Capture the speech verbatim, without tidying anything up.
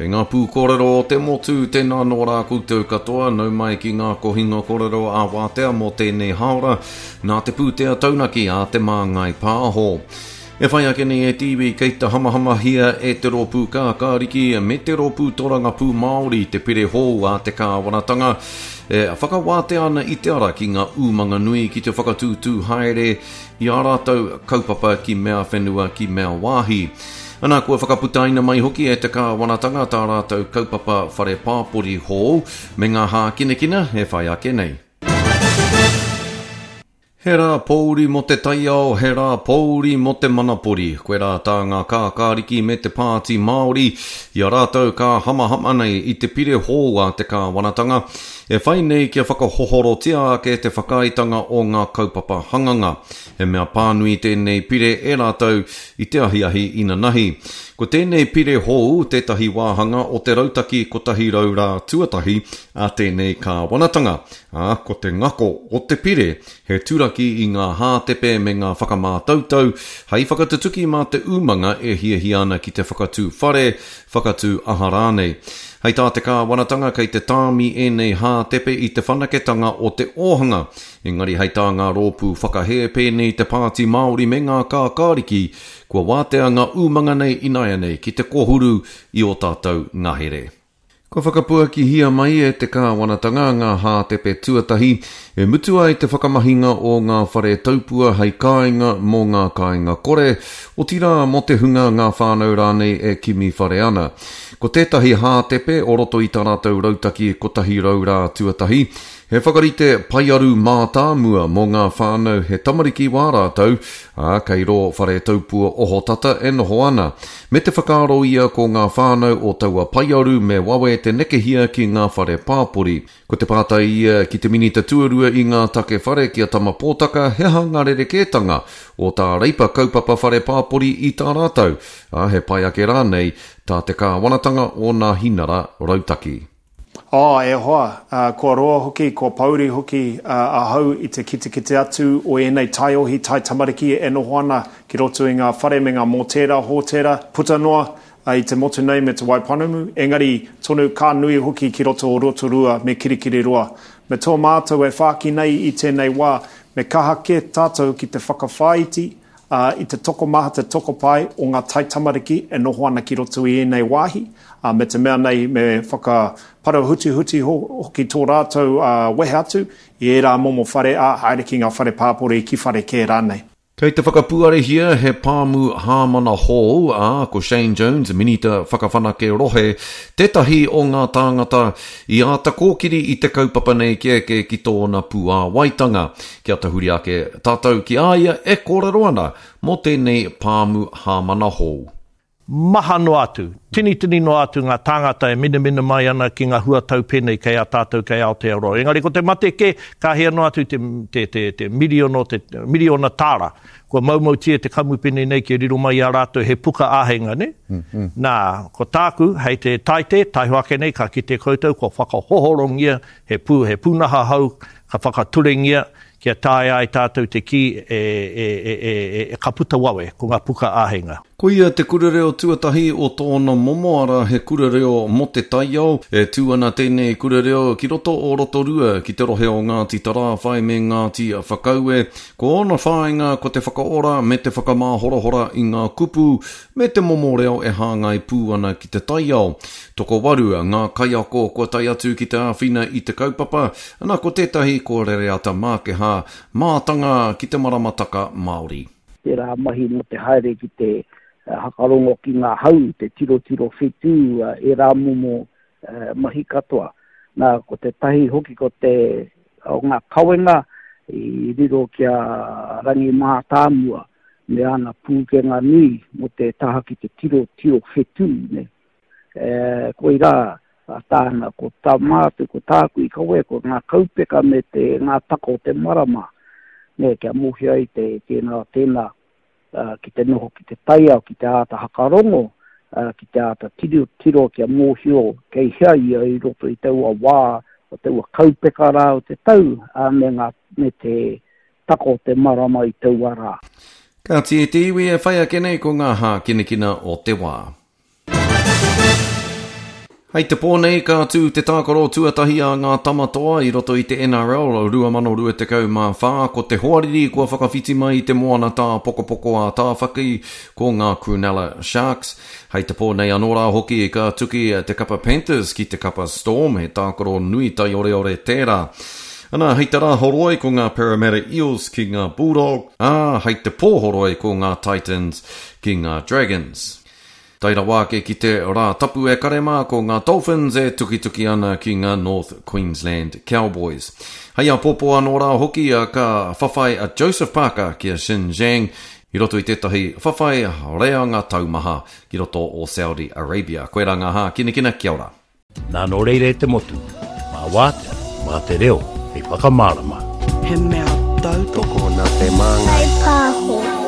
Kei ngā pūkōrero o te motu, tēnā nō rā koutou katoa, nau mai ki ngā kohinga kōrero a wātea mō tēnei haora, nā te pūtea taunaki a Te Māngai Pāho. E whai ake nei e te iwi kei te hamahamahia e te rōpū kākāriki me te rōpū torangapū Māori te pire hou a te kāwanatanga e whakawātea ana i te ara ki ngā umanga nui ki te whakatūtū haere i ā rātou kaupapa ki mea whenua ki mea wāhi. Ana, kua whakaputaina mai hoki e te kāwanatanga tā rātou kaupapa whare pāpori hou me ngā hākinakina e whai ake nei. He rā pōuri mō te taiao, he rā pōuri mō te manapori. Koirā tā ngā kākāriki me te Pāti Māori i a rātou ka hamahama nei i te pire hou a te kāwanatanga e whai nei kia whakahohorotia ake te whakaaetanga o ngā kaupapa hanganga. He mea pānui tēnei pire e rātou i te ahiahi inanahi. Ko tēnei pire hou tētahi wāhanga o te rautaki kotahi rau rā tuatahi a tēnei kāwanatanga, ā, ko te ngako o te pire he turaki i ngā hātepe me ngā whakamātautau hei whakatutuki mā te umanga e hiahia ana ki te whakatū whare, whakatū aha rānei. Hei tā te kāwanatanga kei te tāmi ēnei hātepe i te whanaketanga o te ōhanga, engari hei tā ngā rōpū whakahē pēnei te Pāti Māori me ngā kākāriki, kua wātea ngā umanga nei ināianei ki te kōhuru i ō tātou ngahere. Kua whakapuakihia mai e te kāwanatanga ngā hātepe tuatahi e mutu ai te whakamahinga o ngā whare taupua hei kāinga mō ngā kāinga kore, otirā mō te hunga ngā whānau rānei e kimi whare ana. Ko tētahi hātepe o roto i tā rātou rautaki kotahi rau rā tuatahi, he whakarite paearu mātāmua mō ngā whānau he tamariki wā rātou, ā, kei rō whare taupua ohotata e noho ana. Me te whakaaro ia ko ngā whānau o taua paearu me wawe te nekehia ki ngā whare pāpori. Ko te pātai ia ki te minita tuarua i ngā take whare ki a Tama Pōtaka, he aha ngā rerekētanga o tā Reipa kaupapa whare pāpori i tā rātou, ā, he pai ake rānei tā te kāwanatanga o nā hinara rautaki. Oh, e hoa, uh, kua roa hoki, kua pouri hoki uh, ahau i te kitekite atu o ēnei taiohi, tai tamariki e noho ana ki roto i ngā whare me ngā mōtēra, hōtēra, puta noa uh, i te motu nei me Te Waipounamu, engari tonu ka nui hoki ki roto o Rotorua me Kirikiriroa. Me tō mātou e whāki nei i tēnei wā, me kaha kē tātou ki te whakawhāiti uh, i te tokomaha te tokopae o ngā tai tamariki e noho ana ki roto i ēnei wāhi, uh, me te mea nei me whakaparahutuhuti hoki tō rātou uh, wehe atu i ērā momo whare, ā, haere ki ngā whare pāpori, ki whare kē rānei. Kei te whakapuarehia he pāmu hāmana hou, ā, ko Shane Jones, Minita Whakawhanake Rohe, tētahi o ngā tāngata i āta kōkiri i te kaupapa nei kia eke ki tōna puāwaitanga. Kia tahuri ake tātou ki a ia e kōrero ana mō tēnei pāmu hāmana hou. Maha noa atu, tinitini noa atu ngā tāngata e minamina mai ana ki ngā huatau pēnei kei a tātou kei Aotearoa. Engari ko te mate kē, ka hia noa atu te, te, te, te miriono, te miriona tāra. Kua maumautia te kamupene nei kia riro mai i a rātou he puka āheinga, ne? Mm-hmm. Nā, ko tāku, hei te taite, taiho ake nei, ka kite koutou, kua whakahohorongia he pū, he pūnaha hou, ka whakaturengia, kia taea ai tātou te kī e, e, e, e, e, ka puta wawe, ko ngā puka āheinga. Koia te kura reo tuatahi o tōna momo ara he kura reo mō te taiao. E tū ana tēnei kura reo ki roto o Rotorua, ki te rohe o Ngāti Tarāwhai me Ngāti Whakaue. Ko ōna whāinga ko te whakaora me te whakamāhorahora i ngā kupu me te momo reo e hāngai pū ana ki te taiao. Tokowaru ngā kaiako kua tae atu ki te āwhina i te kaupapa, ana ko tētahi ko Rereata Mākeha, mātanga ki te maramataka Māori. Tērā mahi mō te haere ki te hakarongo ki ngā hau, te tirotiro whetū, ērā momo mahi katoa. Nā, ko te tahi hoki ko te o ngā kawenga i riro ki a Rangi Mātāmua me ana pūkenga nui mō te taha ki te tirotiro whetū. Ne? E, koirā tāna, ko tā mātou, ko tāku i kawe, ko ngā kaupeka me te ngā taka o te marama, ne, kia mōhio ai te tēnā, tēnā, uh, ki te noho ki te taiao, ki te āta hakarongo, uh, ki te āta tiro, tiro kia mōhio kei hea ia i roto i taua wā, o taua kaupeka rā o te tau, uh, me, ngā, me te taka o te marama i taua rā. Kāti e te iwi e whai ake nei ko ngā hākinakina o te wā. Hei te pō nei ka tū te tākaro tuatahi a ngā Tamatoa i roto i te N R L twenty twenty-four. Ko te hoariri kua whakawhiti mai i te moana tāpokopoko a Tāwhaki, ko ngā Cronulla Sharks. Hei te pō nei anō rā hoki ka tuki te kapa Panthers ki te kapa Storm, he tākaro nui taioreore tērā. Ana, hei te rā horoi ko ngā Parramatta Eels ki ngā Bulldogs, ā, hei te pō horoi ko ngā Titans ki ngā Dragons. Tae rawa ake ki te rā tapu e kare mā, ko ngā Dolphins e tukituki ana ki ngā North Queensland Cowboys. Hei āpōpō anō rā hoki ka whawhai a Joseph Parker ki a Xin Zhang i roto i tētahi whawhai reanga taumaha ki roto o Saudi Arabia. Koirā ngā hākinakina, kia ora. Nā nō reira e te motu, mā wātea, mā te reo, hei whakamārama. He mea tautoko Tokona te māngai. Pāho.